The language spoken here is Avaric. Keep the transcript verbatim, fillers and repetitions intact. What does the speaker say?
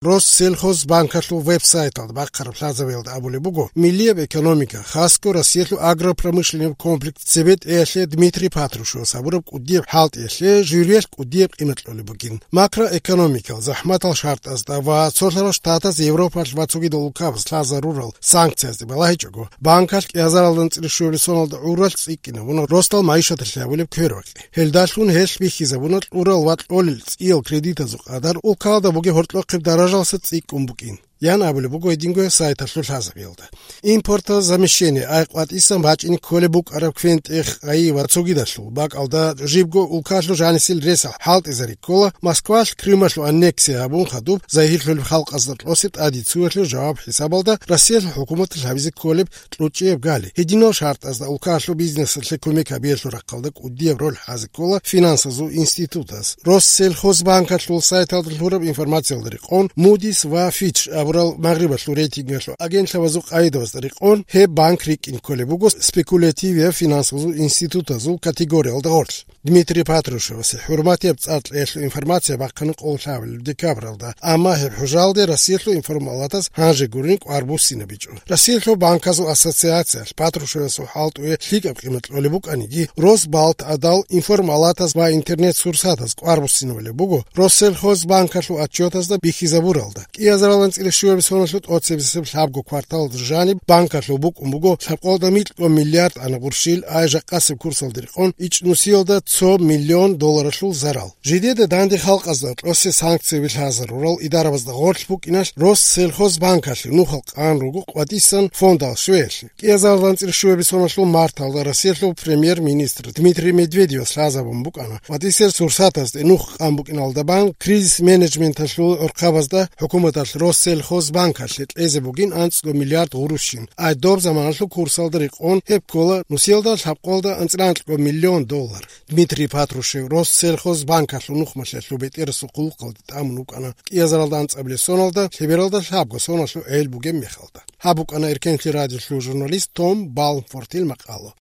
Россельхозбанкалъул веб-сайталда бахъараб лъазабиялда абулеб буго, миллияб экономика, хасго Россиялъул агропромышленнияб комплекс цебетӀеялъе Дмитрий Патрушевас гьабураб кӀудияб хӀалтӀиялъе журиялъ кӀудияб къимат кьолеб бугин. Макроэкономикал захӀматал шартӀазда ва цолъарал штатаз Европалъ ва цогидал улкабаз лъазарурал санкциязде балагьичӀого, банкалъ кӀиазаралда анцӀила щуабилеб соналда гӀуралъ цӀикӀкӀинабуна росдал магӀишаталъе гьабулеб квербакъи. Гьелдалъун гьелъ бихьизабуна кьурал ва кьолел цӀиял кредитазул къадар, улкалда бугеб гьоркьохъеб даражалъа цӀикӀкӀун букӀин, ян абулеб буго гьединго сайталъул лъазабиялда. Импортозамещение, ай къватӀисан бачӀине кколеб букӀараб квен-тӀех, гъайи ва цогидалъул бакӀалда жибго улкалъул жанисел ресал хӀалтӀизари ккола, Москвалъ Крымалъул аннексия гьабун хадуб загьирлъулеб халкъазда кьосе тӀаде цуялъул жаваб-хӀисабалда Россиялъул хӀукуматалъ гьабизе кколеб кьучӀияб гали. Гьединал шартӀазда улкалъул бизнесалъе кумек гьабиялъул рахъалда кӀудияб роль хӀазе ккола финансазул институтаз. Россельхозбанкалъул сайталда лъураб информациялда рекъон, Moody's ва Fitch абурал магърибалъул рейтингалъул агентлъабазул къагӀидабазда рекъон, гьеб банк рикӀкӀине кколеб буго спекулятивияб финансазул институтазул категориялда гъорлъ. Дмитрий Патрушевасе хӀурматияб цӀар кьеялъул информация бахъана къоло лъабабилеб декабралда, амма гьеб хӀужалде Россиялъул информалатаз гьанже гурони кӀвар буссинабичӀо. Россиялъул банказул ассоциациялъ Патрушевасул хӀалтӀуе лъикӀаб къимат кьолеб букӀаниги, Росбалт гӀадал информалатаз ва интернет-сурсатаз кӀвар буссинабулеб буго Россельхозбанкалъул отчетазда бихьизабуралда. КӀиазаралда анцӀила щуабилеб соналъул тӀоцебесеб лъабго кварталалда жаниб банкалъул букӀун буго лъабкъоялда микьго миллиард ана гъурщил, ай жакъасеб курсалда рекъон ичӀнусиялда цо миллион долларалъул зарал. Жидеда данде халкъазда кьосе санкцияби лъазарурал идарабазда гъорлъ букӀиналъ Россельхозбанкалъе нухал къан руго къватӀисан фондал щвеялъе. КӀиазаралда анцӀила щуабилеб соналъул марталда Россиялъул премьер-министр Дмитрий Медведевас лъазабун букӀана, къватӀисел сурсатазде нух къан букӀиналда бан, кризис-менеджменталъул гӀурхъабазда хӀукуматалъ Россельхозбанкалъе кьезе бугин анцӀго миллиард гъурущин, ай доб заманалъул курсалда рекъон гьеб ккола нусиялда лъабкъоялда анцӀила анкьго миллион доллар. Дмитрий Патрушев Россельхозбанкалъул нухмалъиялъул бетӀерасул хъулухъалде тӀамун вукӀана кӀиазаралда анцӀабилеб соналда, лъебералда лъабго соналъул гӀел бугеб мехалда. Гьаб букӀана Эркенлъи радиолъул журналист Том Балмфортил макъала.